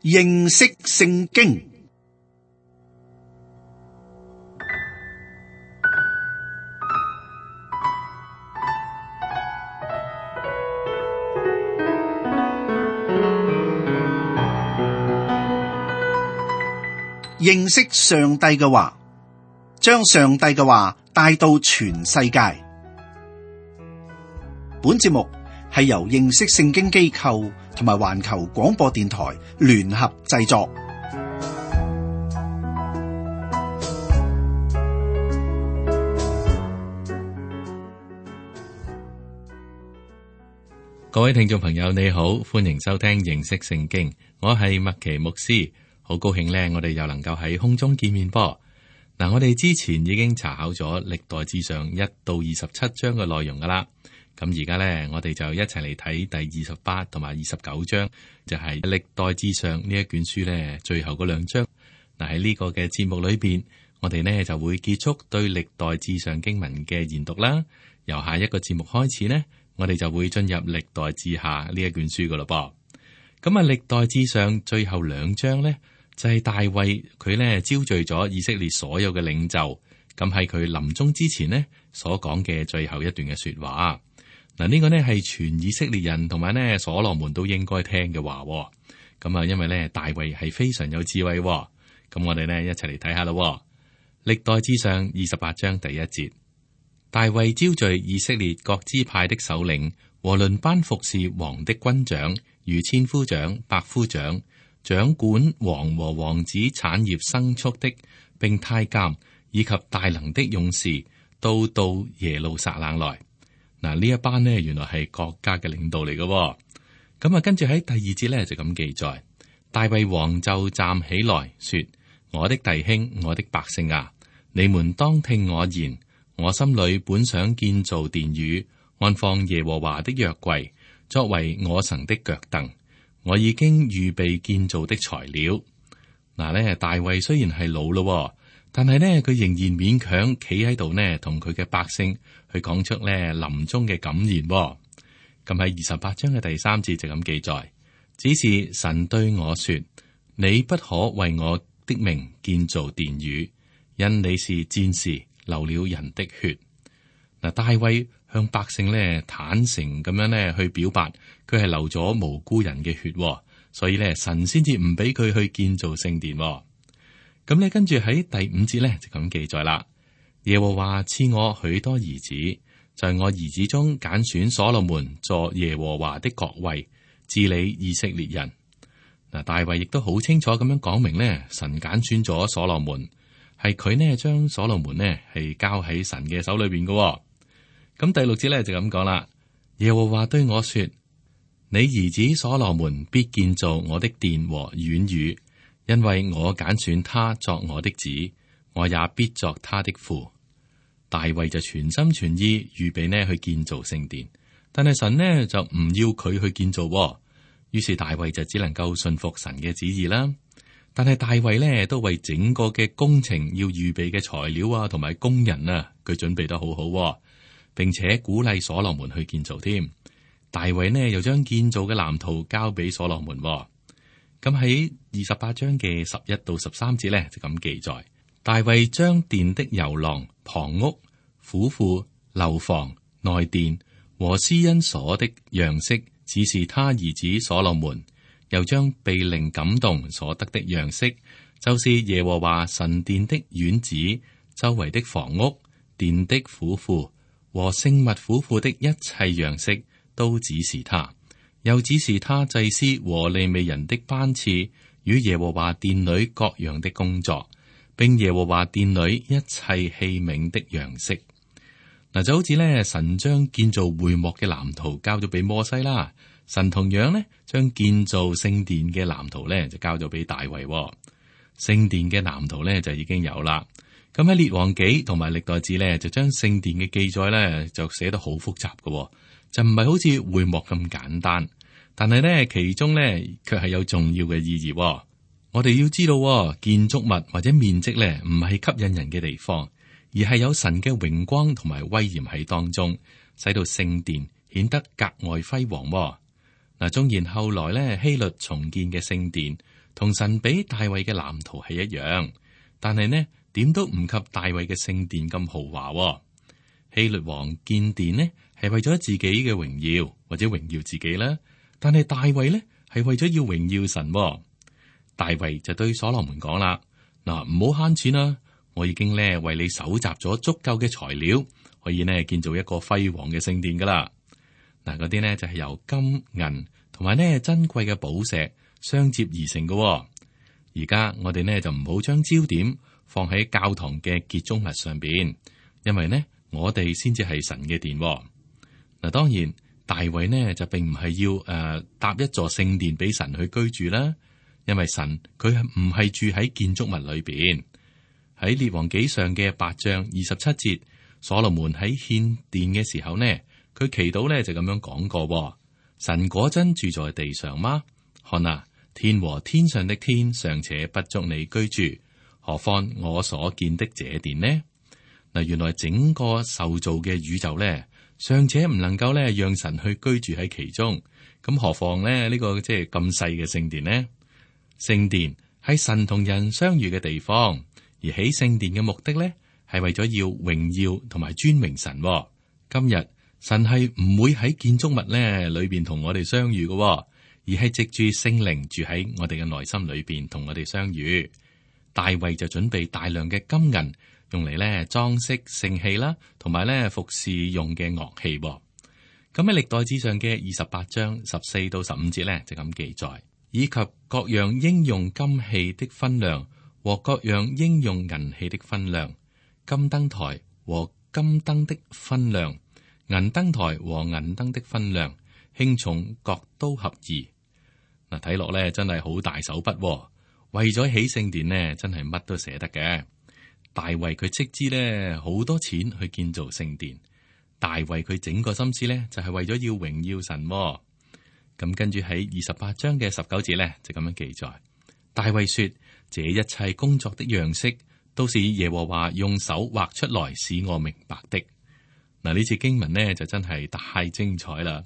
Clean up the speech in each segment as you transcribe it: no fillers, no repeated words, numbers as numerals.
認識聖經。認識上帝嘅話，將上帝嘅話帶到全世界。本節目係由認識聖經機構同埋環球廣播電台聯合製作。各位聽眾朋友，你好，歡迎收聽認識聖經，我係麥奇牧師。好高興咧，我哋又能夠喺空中見面噃。嗱，我哋之前已經查考咗歷代志上1到27章嘅內容噶啦。咁而家咧，我哋就一齊嚟睇第28同埋29章，就係歷代志上呢一卷書咧最後嗰兩章。嗱，喺呢個嘅節目裏邊，我哋呢就會結束對歷代志上經文嘅研讀啦。由下一個節目開始呢，我哋就會進入歷代志下呢一卷書噶啦噃。咁啊，歷代志上最後兩章呢，就係大衛佢咧招聚咗以色列所有嘅領袖，咁喺佢臨終之前呢所講嘅最後一段嘅說話。嗱，呢個呢係全以色列人同埋呢所羅門都應該聽嘅話。咁啊，因為呢大衛係非常有智慧。咁我哋呢一齊嚟睇下咯。歷代志上28章第1節，大衛招聚以色列各支派的首領和輪班服侍王的軍長、如千夫長、百夫長、掌管王和王子產業牲畜的，並太監以及大能的勇士，都到耶路撒冷來。嗱，呢一班呢，原來係國家嘅領導嚟嘅。咁啊，跟住喺第2節呢，就咁記載，大衛王就站起來說：我的弟兄，我的百姓啊，你們當聽我言。我心裏本想建造殿宇，安放耶和華的約櫃，作為我神的腳凳。我已經預備建造的材料。嗱咧，大衛雖然係老咯，但係呢，佢仍然勉強企喺度呢，同佢嘅百姓去講出呢臨終嘅感言。咁喺28章嘅第3節就咁記載，只是神對我說：你不可為我的名建造殿宇，因你是戰士，流了人的血。嗱，大衛向百姓咧坦誠咁樣咧去表白，佢係流咗無辜人嘅血，所以咧神先至唔俾佢去建造聖殿。咁咧跟住喺第5節咧就咁記載啦。耶和華賜我許多兒子，在我兒子中揀選所羅門作耶和華的國位，治理以色列人。嗱，大衛亦都好清楚咁樣講明咧，神揀選咗所羅門，係佢呢將所羅門呢係交喺神嘅手裏邊嘅。咁第6節咧就咁講啦。耶和華對我說：你兒子所羅門必建造我的殿和院宇，因為我揀選他作我的子，我也必作他的父。大衛就全心全意預備呢去建造聖殿，但係神呢就唔要佢去建造，於是大衛就只能夠信服神嘅旨意啦。但係大衛呢都為整個嘅工程要預備嘅材料啊，同埋工人啊，佢準備得好好，並且鼓勵所羅門去建造添。大衛呢又將建造嘅藍圖交俾所羅門。咁喺28章嘅11到13節呢，就咁記載，大衛將殿的遊廊、旁屋、府庫、樓房、內殿和施恩所的樣式指示他兒子所羅門，又將被靈感動所得的樣式，就是耶和華神殿的院子、周圍的房屋、殿的府庫和聖物府庫的一切樣式，都指示他，又指示他祭司和利未人的班次與耶和華殿裏各樣的工作，並耶和華殿裏一切器皿的樣式。嗱，就好似咧，神將建造會幕嘅藍圖交咗俾摩西啦，神同樣呢將建造聖殿嘅藍圖咧就交咗俾大衛。聖殿嘅藍圖咧就已經有啦。咁喺列王紀同埋歷代志咧，就將聖殿嘅記載咧就寫得好複雜嘅，就唔係好似會幕咁簡單。但係咧其中咧卻係有重要嘅意義。我哋要知道，建築物或者面積咧唔係吸引人嘅地方，而係有神嘅榮光同埋威嚴喺當中，使到聖殿顯得格外輝煌。嗱，縱然後來咧希律重建嘅聖殿同神俾大衛嘅藍圖係一樣，但係呢點都唔及大衛嘅聖殿咁豪華。希律王建殿呢係為咗自己嘅榮耀或者榮耀自己啦，但係大衛呢係為咗要榮耀神。大衛就對所羅門講啦：嗱，唔好慳錢啦，我已經呢為你搜集咗足夠嘅材料，可以呢建造一個輝煌嘅聖殿噶啦。嗱，嗰啲呢就係由金銀同埋呢珍貴嘅寶石相接而成嘅。而家我哋呢就唔好將焦點放喺教堂嘅建築物上邊，因為呢我哋先至係神嘅殿。嗱，當然大衛呢就並唔係要搭一座聖殿俾神去居住啦，因為神佢係唔係住喺建築物裏邊。喺列王紀上嘅8章27節，所羅門喺獻殿嘅時候呢，佢祈禱呢就咁樣講過：神果真住在地上嗎？看啊，天和天上的天尚且不足你居住，何況我所見的這殿呢？嗱，原來整個受造嘅宇宙呢，尚且唔能夠呢讓神去居住喺其中，咁何況呢呢個即係咁細嘅聖殿呢？聖殿係神同人相遇嘅地方，而起聖殿嘅目的呢，係為咗要榮耀同埋尊榮神。今日神係唔會喺建築物呢裏邊同我哋相遇嘅，而係藉住聖靈住喺我哋嘅內心裏邊同我哋相遇。大衛就準備大量嘅金銀，用嚟咧裝飾聖器啦，同埋咧服侍用嘅樂器。咁喺歷代志上嘅28章14到15節咧就咁記載，以及各樣應用金器的分量和各樣應用銀器的分量，金燈台和金燈的分量，銀燈台和銀燈的分量，輕重各都合宜。嗱，睇落咧真係好大手筆，為咗起聖殿呢，真係乜都捨得嘅。大衛佢斥資咧好多錢去建造聖殿，大衛佢整個心思咧就係為咗要榮耀神。咁跟住喺28章嘅19節咧就咁樣記載，大衛說：這一切工作的樣式都是耶和華用手畫出來使我明白的。嗱，呢次經文呢就真係太精彩啦！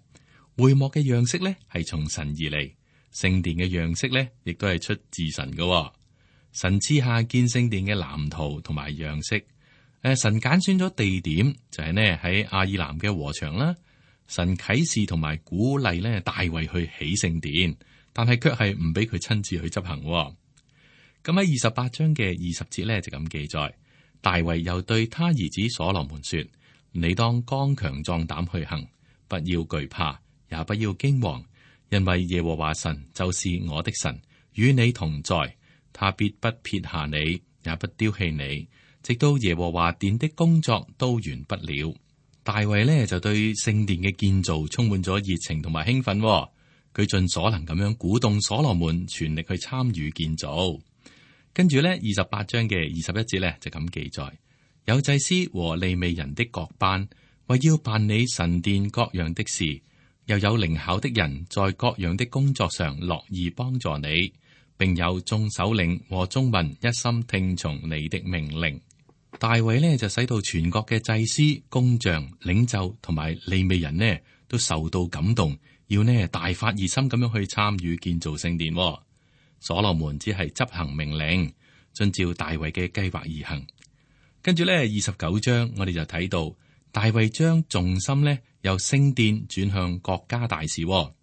會幕嘅樣式咧係從神而嚟，聖殿嘅樣式咧亦都係出自神嘅。神賜下建聖殿嘅藍圖同埋樣式。神揀選咗地點，就係呢喺亞爾南嘅禾場啦。神啟示同埋鼓勵咧大衛去起聖殿，但係卻係唔俾佢親自去執行。咁喺28章嘅20節咧就咁記載，大衛又對他兒子所羅門說：你當剛強壯膽去行，不要懼怕，也不要驚惶，因為耶和華神就是我的神，與你同在。他必不撇下你，也不丟棄你，直到耶和華殿的工作都完不了。大衛呢就對聖殿嘅建造充滿咗熱情同埋興奮，佢盡所能咁樣鼓動所羅門全力去參與建造。跟住呢28章嘅21節呢就咁記載，有祭司和利未人的各班，為要辦理神殿各樣的事，又有靈巧的人在各樣的工作上樂意幫助你。並有眾首領和眾民一心聽從你的命令。大衛呢就使到全國嘅祭司、工匠、領袖同埋利未人呢都受到感動，要呢大發熱心咁樣去參與建造聖殿。所羅門只係執行命令，遵照大衛嘅計劃而行。跟住呢29章我哋就睇到大衛將重心呢由聖殿轉向國家大事。佢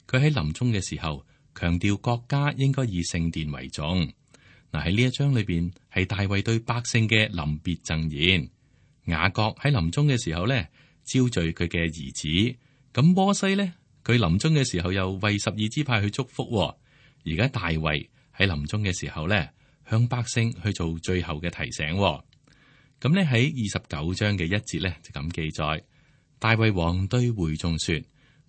喺臨終嘅時候強調國家應該以聖殿為重。嗱，喺呢一章裏邊係大衛對百姓嘅臨別贈言。雅各喺臨終嘅時候咧招聚佢嘅兒子，咁摩西咧佢臨終嘅時候又為12支派去祝福。而家大衛喺臨終嘅時候咧向百姓去做最後嘅提醒。咁咧喺29章嘅1節咧就咁記載，大衛王對會眾說：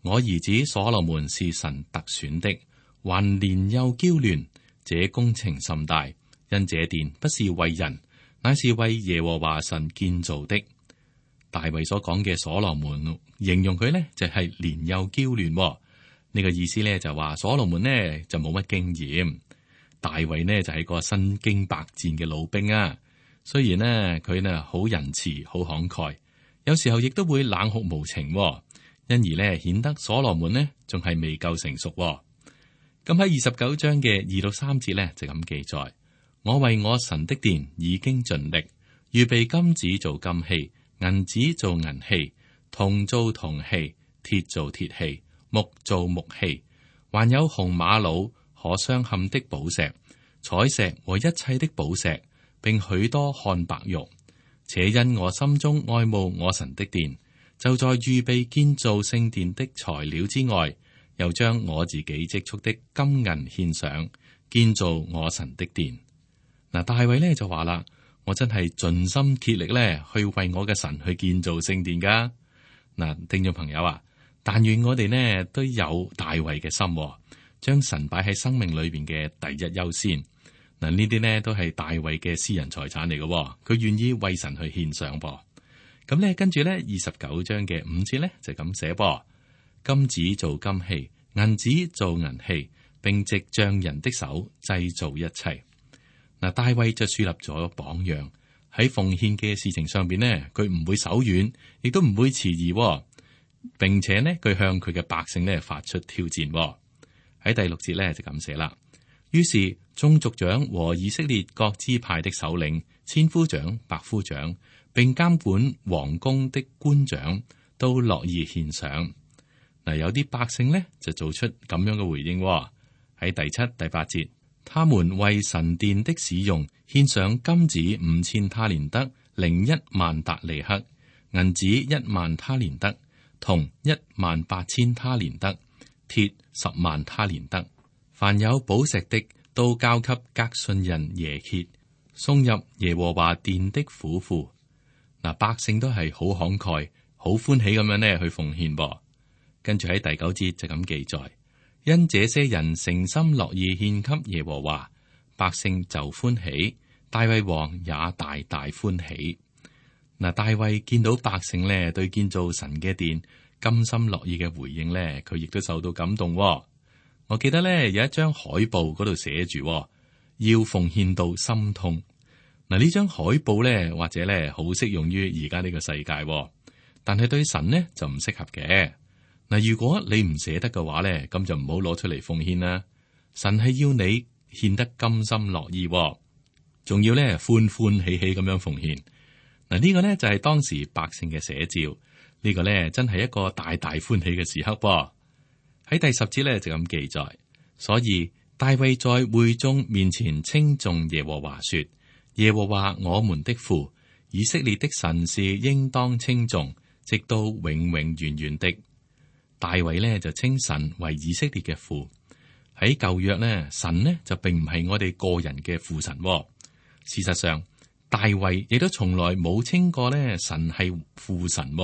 我兒子所羅門是神特選的，還年幼嬌嫩，這工程甚大，因這殿不是為人，乃是為耶和華神建造的。大衛所講嘅所羅門，形容佢呢就係年幼嬌嫩。呢個意思呢就話所羅門呢就冇乜經驗，大衛呢就係個身經百戰嘅老兵啊。雖然呢佢呢好仁慈、好慷慨，有時候亦都會冷酷無情，因而呢顯得所羅門呢仲係未夠成熟。咁喺29章嘅2到3節呢，就咁記載：我為我神的殿已經盡力，預備金子做金器，銀子做銀器，銅做銅器，鐵做鐵器，木做木器，還有紅瑪瑙、可鑲嵌的寶石、彩石和一切的寶石，並許多漢白玉。且因我心中愛慕我神的殿，就在預備建造聖殿的材料之外，又將我自己積蓄的金銀獻上，建造我神的殿。嗱，大衛呢就話啦：我真係盡心竭力咧，去為我嘅神去建造聖殿噶。嗱，聽眾朋友啊，但願我哋呢都有大衛嘅心，將神擺喺生命裏邊嘅第一優先。嗱，呢啲呢都係大衛嘅私人財產嚟嘅，佢願意為神去獻上噃。咁呢，跟住呢29章嘅5節呢就咁寫噃：金子做金器，銀子做銀器，並藉匠人的手製造一切。嗱，大衛就樹立咗榜樣，喺奉獻嘅事情上邊呢，佢唔會手軟，亦都唔會遲疑，並且呢，佢向佢嘅百姓呢發出挑戰。喺第6節呢就咁寫啦。於是眾族長和以色列各支派的首領、千夫長、百夫長，並監管王宮的官長，都樂意獻上。嗱，有啲百姓呢就做出咁樣嘅回應。喺第7、第8節，他們為神殿的使用獻上金子5000他連得，另10000達利克，銀子10000他連得，銅18000他連得，鐵100000他連得。凡有寶石的，都交給革順人耶歇，送入耶和華殿的府庫。嗱，百姓都係好慷慨、好歡喜咁樣呢去奉獻噃。跟住喺第9節就咁記載：因這些人誠心樂意獻給耶和華，百姓就歡喜，大衛王也大大歡喜。嗱，大衛見到百姓呢對建造神嘅殿甘心樂意嘅回應呢，佢亦都受到感動。我記得咧有一張海報嗰度寫住要奉獻到心痛。嗱，呢張海報咧或者咧好適用於而家呢個世界，但係對神呢就唔適合嘅。嗱，如果你唔捨得嘅話咧，咁就唔好攞出嚟奉獻啦。神係要你獻得甘心樂意，仲要咧歡歡喜喜咁樣奉獻。嗱，呢個呢就係當時百姓嘅寫照。呢個呢真係一個大大歡喜嘅時刻噃。喺第10節咧就咁記載，所以大衛在會眾面前稱頌耶和華說：耶和華我們的父，以色列的神是應當稱頌，直到永永遠遠的。大衛呢就稱神為以色列嘅父。喺舊約呢，神呢就並唔係我哋個人嘅父神。事實上，大衛亦都從來冇稱過呢神係父神。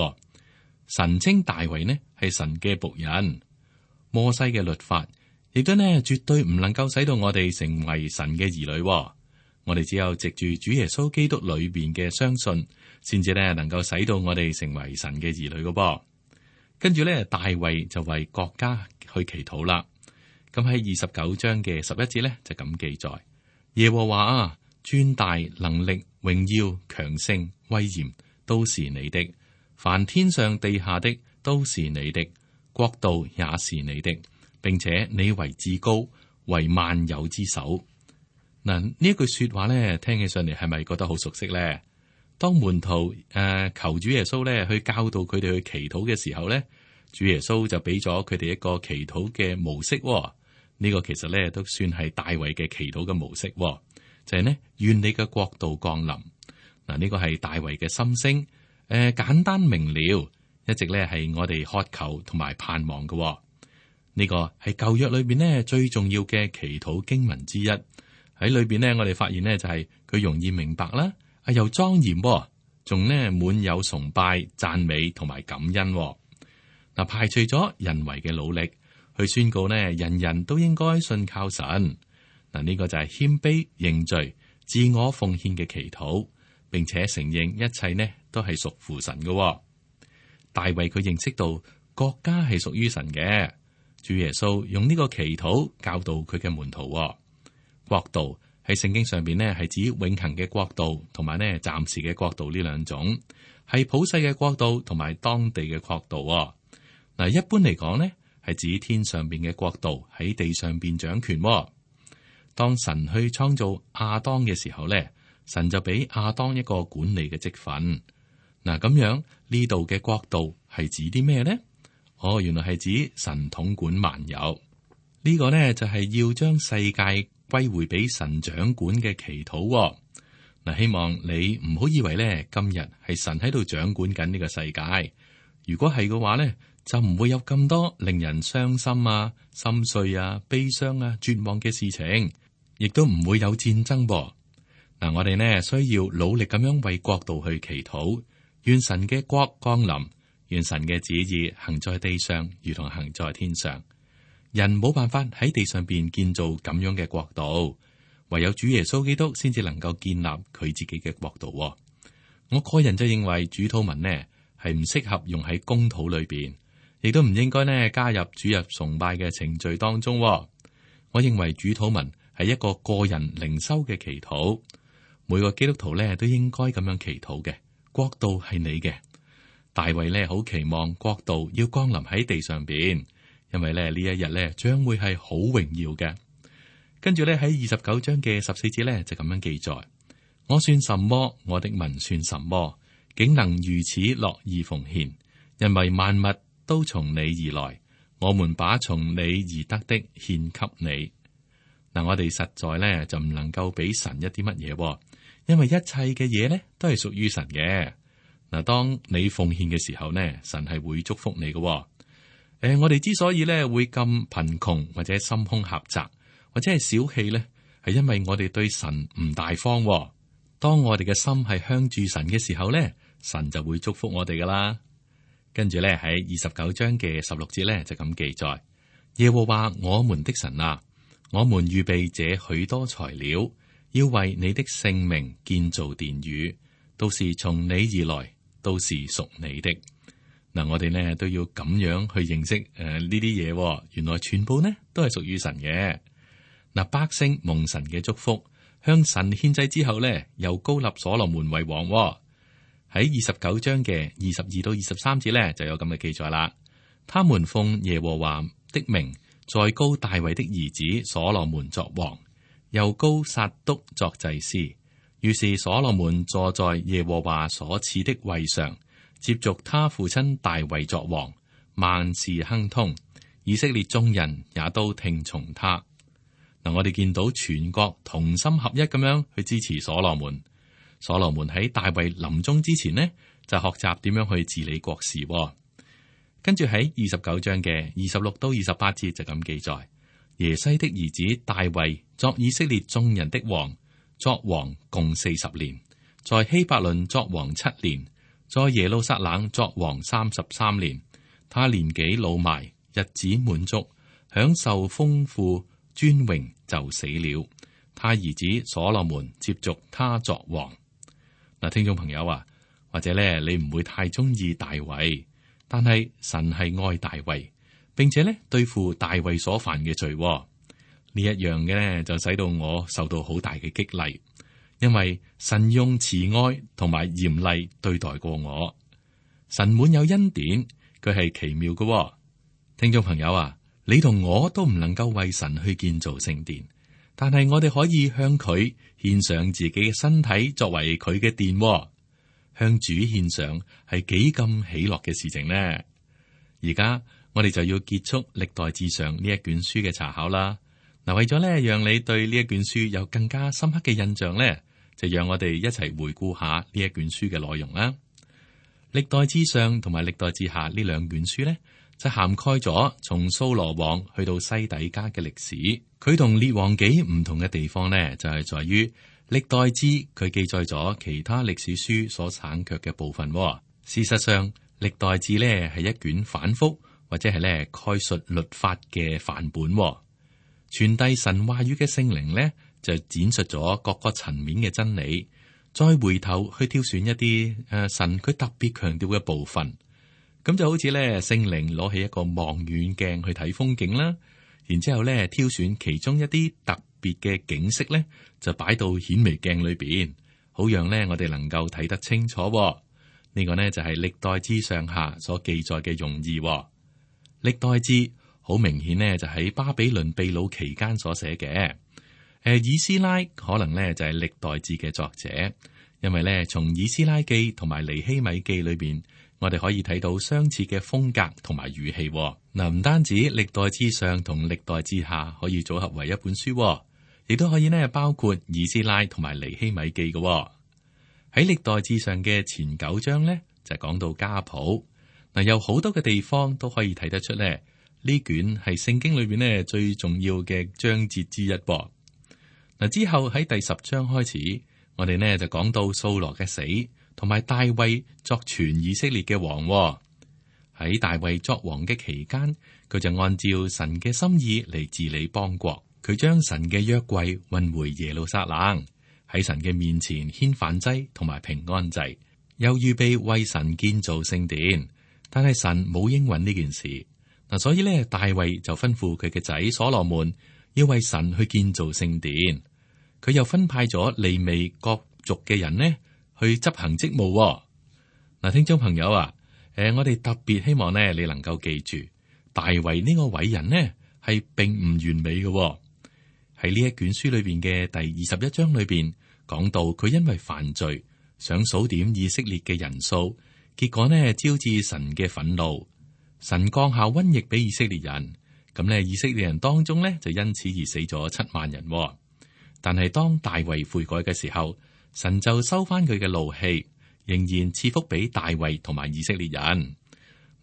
神稱大衛呢係神嘅僕人。摩西嘅律法亦都呢絕對唔能夠使到我哋成為神嘅兒女。我哋只有藉住主耶穌基督裏邊嘅相信，先至呢能夠使到我哋成為神嘅兒女嘅噃。跟住呢，大衛就為國家去祈禱啦。咁喺29章嘅11節呢，就咁記載：耶和華啊，尊大能力、榮耀、強盛、威嚴都是你的，凡天上地下的都是你的。國度也是你的，並且你為至高，為萬有之首。嗱，呢一句說話咧，聽起上嚟係咪覺得好熟悉咧？當門徒求主耶穌咧去教導佢哋去祈禱嘅時候咧，主耶穌就俾咗佢哋一個祈禱嘅模式。呢個其實咧都算係大衛嘅祈禱嘅模式，就係呢：願你嘅國度降臨。嗱，呢個係大衛嘅心聲，簡單明了。一直咧係我哋渴求同埋盼望嘅。呢個係舊約裏邊呢最重要嘅祈禱經文之一。喺裏邊呢，我哋發現呢就係佢容易明白啦，又莊嚴，仲呢滿有崇拜、讚美同埋感恩。嗱，排除咗人為嘅努力，去宣告呢人人都應該信靠神。嗱，呢個就係謙卑認罪、自我奉獻嘅祈禱，並且承認一切呢都係屬乎神嘅。大衛佢認識到國家係屬於神嘅，主耶穌用呢個祈禱教導佢嘅門徒。國度喺聖經上邊呢係指永恆嘅國度，同埋呢暫時嘅國度呢兩種，係普世嘅國度同埋當地嘅國度。嗱，一般嚟講呢，係指天上邊嘅國度喺地上邊掌權。當神去創造亞當嘅時候咧，神就俾亞當一個管理嘅職分。嗱，咁樣呢度嘅國度係指啲咩呢？原來係指神統管萬有。呢個呢，就係要將世界歸回俾神掌管嘅祈禱。嗱，希望你唔好以為咧今日係神喺度掌管緊呢個世界。如果係嘅話咧，就唔會有咁多令人傷心啊、心碎啊、悲傷啊、絕望嘅事情，亦都唔會有戰爭噃。嗱，我哋呢需要努力咁樣為國度去祈禱，願神嘅國降臨，願神嘅旨意行在地上，如同行在天上。人冇辦法喺地上邊建造咁樣嘅國度。唯有主耶穌基督先至能夠建立佢自己嘅國度。我個人就認為主禱文呢係唔適合用喺公禱裏邊，亦都唔應該呢加入主日崇拜嘅程序當中。我認為主禱文係一個個人靈修嘅祈禱，每個基督徒呢都應該咁樣祈禱嘅。國度係你嘅。大衛呢好期望國度要降臨喺地上邊，因為呢一日呢將會係好榮耀嘅。跟住咧喺29章嘅14節咧就咁樣記載：我算什麼？我的民算什麼？竟能如此樂意奉獻？因為萬物都從你而來，我們把從你而得的獻給你。嗱，我哋實在咧就唔能夠俾神一啲乜嘢，因為一切嘅嘢咧都係屬於神嘅。嗱，當你奉獻嘅時候呢，神係會祝福你嘅。我哋之所以咧會咁貧窮或者心胸狹窄，或者係小氣咧，係因為我哋對神唔大方。當我哋嘅心係向住神嘅時候咧，神就會祝福我哋噶啦。跟住咧喺29章嘅16節咧就咁記載：耶和華我們的神啊，我們預備這許多材料，要為你的聖名建造殿宇，都是從你而來，都是屬你的。嗱，我哋呢都要咁樣去認識呢啲嘢，原來全部呢都係屬於神嘅。嗱，百姓蒙神嘅祝福，向神獻祭之後呢，又高立所羅門為王。喺29章嘅22到23節呢，就有咁嘅記載啦。他們奉耶和華的名，再高大衛的兒子所羅門作王，又高撒督作祭司。於是所羅門坐在耶和華所賜的位上，接續他父親大衛作王，萬事亨通，以色列眾人也都聽從他。嗱，我哋見到全國同心合一咁樣去支持所羅門。所羅門喺大衛臨終之前呢，就學習點樣去治理國事。跟住喺29章嘅26到28節就咁記載：耶西的兒子大衛作以色列眾人的王，作王共40年，在希伯倫作王7年，在耶路撒冷作王33年。他年紀老邁，日子滿足，享受豐富尊榮，就死了。他兒子所羅門接續他作王。嗱，聽眾朋友啊，或者咧你唔會太中意大衛，但係神係愛大衛，並且咧對付大衛所犯嘅罪。呢一樣嘅咧就使到我受到好大嘅激勵，因為神用慈愛同埋嚴厲對待過我。神滿有恩典，佢係奇妙嘅。聽眾朋友啊，你同我都唔能夠為神去建造聖殿，但係我哋可以向佢獻上自己嘅身體作為佢嘅殿。向主獻上係幾咁喜樂嘅事情呢？而家我哋就要結束歷代志上呢一卷書嘅查考啦。嗱，為咗咧讓你對呢一卷書有更加深刻嘅印象咧，就讓我哋一齊回顧下呢一卷書嘅內容啦。歷代志上同埋歷代志下呢兩卷書咧，就涵蓋咗從掃羅王去到西底家嘅歷史。佢同列王紀唔同嘅地方呢，就係在於歷代志佢記載咗其他歷史書所省卻嘅部分。事實上，歷代志呢係一卷反覆或者係咧概述律法嘅範本。傳遞神話語嘅聖靈呢，就展述咗各個層面嘅真理，再回頭去挑選一啲神佢特別強調嘅部分。咁就好似咧聖靈攞起一個望遠鏡去睇風景啦，然之後咧挑選其中一啲特別嘅景色咧，就擺到顯微鏡裏邊，好讓咧我哋能夠睇得清楚。呢個呢，就係歷代志上下所記載嘅用意。歷代志好明顯呢，就喺巴比倫被擄期間所寫嘅。以斯拉可能呢，就係歷代志嘅作者，因為呢，從以斯拉記同埋尼希米記裏邊，我哋可以睇到相似嘅風格同埋語氣。嗱，唔單止歷代志上同歷代志下可以組合為一本書，亦都可以呢，包括以斯拉同埋尼希米記嘅。喺歷代志上嘅前9章呢，就講到家譜。嗱，有好多嘅地方都可以睇得出呢，呢卷係聖經裏邊呢最重要嘅章節之一。嗱，之後喺第10章開始，我哋呢就講到掃羅嘅死，同埋大衛作全以色列嘅王。喺大衛作王嘅期間，佢就按照神嘅心意嚟治理邦國。佢將神嘅約櫃運回耶路撒冷，喺神嘅面前獻燔祭同埋平安祭，又預備為神建造聖殿。但係神冇應允呢件事。嗱，所以呢，大衛就吩咐佢嘅仔所羅門要為神去建造聖殿。佢又分派咗利未各族嘅人呢去執行職務。嗱，聽眾朋友啊，我哋特別希望呢，你能夠記住，大衛呢個偉人呢係並唔完美嘅。喺呢一卷書裏邊嘅第21章裏邊講到，佢因為犯罪，想數點以色列嘅人數，結果呢招致神嘅憤怒，神降下瘟疫俾以色列人。咁呢，以色列人當中呢就因此而死咗7萬人。但係當大衛悔改嘅時候，神就收翻佢嘅怒氣，仍然賜福俾大衛同埋以色列人。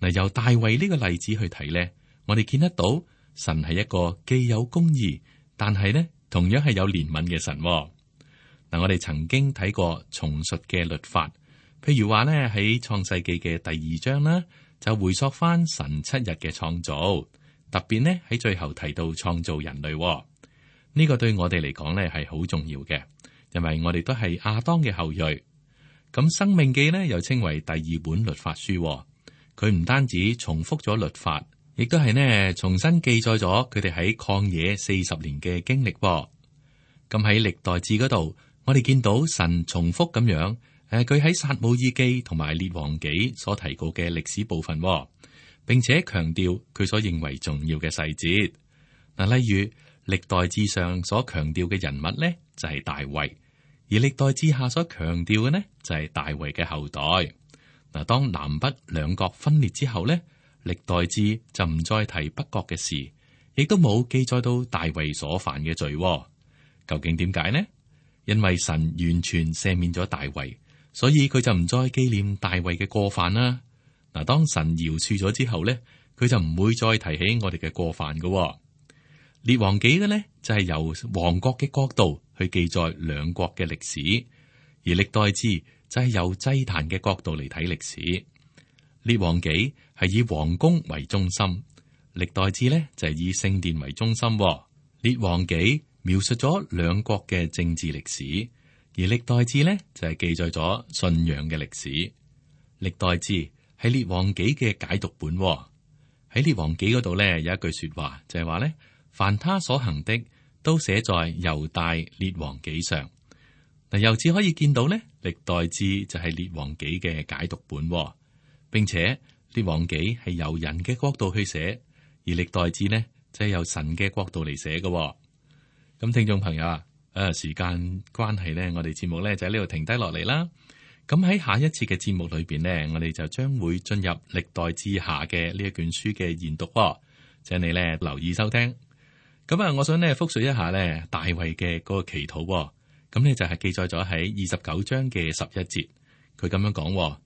嗱，由大衛呢個例子去睇呢，我哋見得到神係一個既有公義，但係呢同樣係有憐憫嘅神。嗱，我哋曾經睇過重述嘅律法，譬如話呢喺創世記嘅第2章啦，就回溯翻神7日嘅創造，特別呢喺最後提到創造人類。呢個對我哋嚟講呢係好重要嘅，因為我哋都係亞當嘅後裔。咁申命記呢又稱為第2本律法書，佢唔單止重複咗律法，亦都係呢重新記載咗佢哋喺曠野40年嘅經歷。咁喺歷代志嗰度，我哋見到神重複咁樣，佢喺撒母耳記同埋列王紀所提過嘅歷史部分，並且強調佢所認為重要嘅細節。嗱，例如歷代志上所強調嘅人物呢，就係大衛；而歷代志下所強調嘅呢，就係大衛嘅後代。嗱，當南北兩國分裂之後呢，歷代志就唔再提北國嘅事，亦都冇記載到大衛所犯嘅罪。究竟點解呢？因為神完全赦免咗大衛，所以佢就唔再紀念大衛嘅過犯啦。嗱，當神饒恕咗之後呢，佢就唔會再提起我哋嘅過犯噶。列王紀嘅呢，就係由王國嘅角度去記載兩國嘅歷史，而歷代志就係由祭壇嘅角度嚟睇歷史。列王紀係以王宮為中心，歷代志呢就係以聖殿為中心。列王紀描述咗兩國嘅政治歷史，而歷代志呢就係記載咗信仰嘅歷史。歷代志係列王紀嘅解讀本。喺列王紀嗰度呢，有一句說話就係話呢，凡他所行的都寫在猶大列王紀上。嗱，由此可以見到呢，歷代志就係列王紀嘅解讀本，並且列王紀係由人嘅角度去寫，而歷代志呢就係由神嘅角度嚟寫嘅。咁聽眾朋友啊，時間關係呢，我哋節目呢就喺呢度停低落嚟啦。咁喺下一次嘅節目裏邊呢，我哋就將會進入歷代志下嘅呢一卷書嘅研讀，請你呢留意收聽。咁啊，我想呢複述一下呢大衛嘅嗰個祈禱。咁呢就係記載咗喺29章嘅11節，佢咁樣講：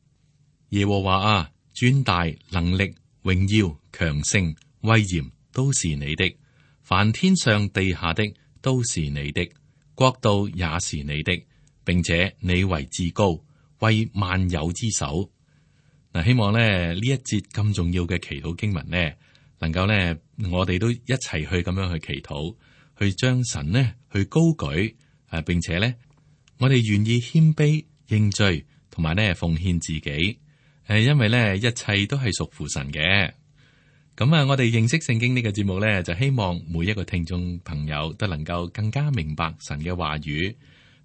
耶和華啊，尊大能力、榮耀、強盛、威嚴都是你的，凡天上地下的都是你的，國度也是你的，並且你為至高，為萬有之首。嗱，希望呢一節咁重要嘅祈禱經文呢，能夠呢我哋都一齊去咁樣去祈禱，去將神呢去高舉，並且呢我哋願意謙卑認罪，同埋呢奉獻自己，因為呢一切都係屬乎神嘅。咁啊，我哋認識聖經呢個節目呢，就希望每一個聽眾朋友都能夠更加明白神嘅話語，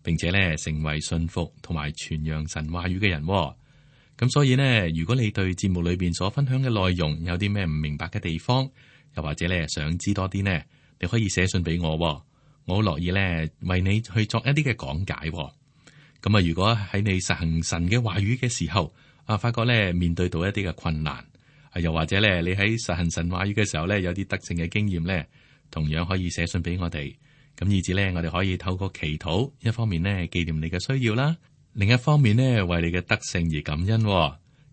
並且呢成為信服同埋傳揚神話語嘅人。咁所以呢，如果你對節目裏邊所分享嘅內容有啲咩唔明白嘅地方，又或者咧想知多啲呢，你可以寫信俾我，我好樂意咧為你去作一啲嘅講解。咁啊，如果喺你實行神嘅話語嘅時候，發覺咧面對到一啲嘅困難，又或者咧你喺實行神話語嘅時候咧有啲得勝嘅經驗咧，同樣可以寫信俾我哋。咁以至咧，我哋可以透過祈禱，一方面咧紀念你嘅需要啦，另一方面咧為你嘅得勝而感恩。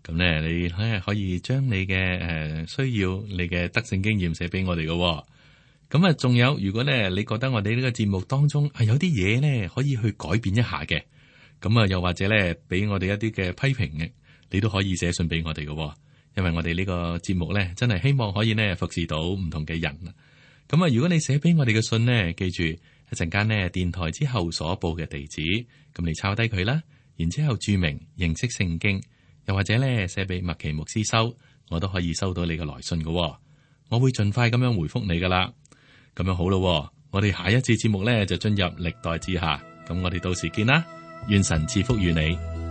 咁咧你可以將你嘅需要、你嘅得勝經驗寫俾我哋嘅。咁啊，仲有，如果咧你覺得我哋呢個節目當中有啲嘢咧可以去改變一下嘅，咁啊又或者咧俾我哋一啲嘅批評嘅，你都可以寫信俾我哋嘅。因為我哋呢個節目咧真係希望可以咧服侍到唔同嘅人。咁啊，如果你寫俾我哋嘅信呢，記住一陣間呢電台之後所報嘅地址，咁你抄低佢啦，然之後注明認識聖經，又或者咧寫俾麥奇牧師收，我都可以收到你嘅來信嘅。我會盡快咁樣回覆你噶啦。咁樣好咯，我哋下一次節目咧就進入歷代志下，咁我哋到時見啦，願神賜福與你。